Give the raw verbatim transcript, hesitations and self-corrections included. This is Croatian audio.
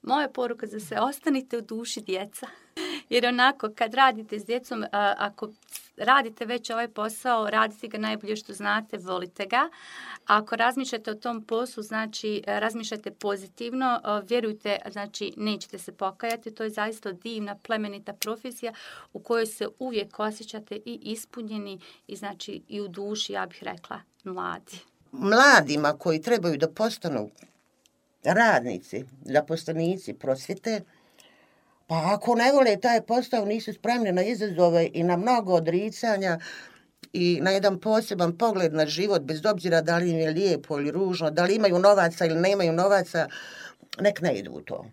Moja poruka za sve, ostanite u duši djeca. Jer onako, kad radite s djecom, a, ako radite već ovaj posao, radite ga najbolje što znate, volite ga. A ako razmišljate o tom poslu, znači razmišljate pozitivno, vjerujte, znači nećete se pokajati. To je zaista divna, plemenita profesija u kojoj se uvijek osjećate i ispunjeni i znači i u duši, ja bih rekla, mladi. Mladima koji trebaju da postanu radnici, zaposlenici prosvjete, pa ako ne vole taj posao, nisu spremni na izazove i na mnogo odricanja i na jedan poseban pogled na život, bez obzira da li im je lijepo ili ružno, da li imaju novaca ili nemaju novaca, nek ne idu u to.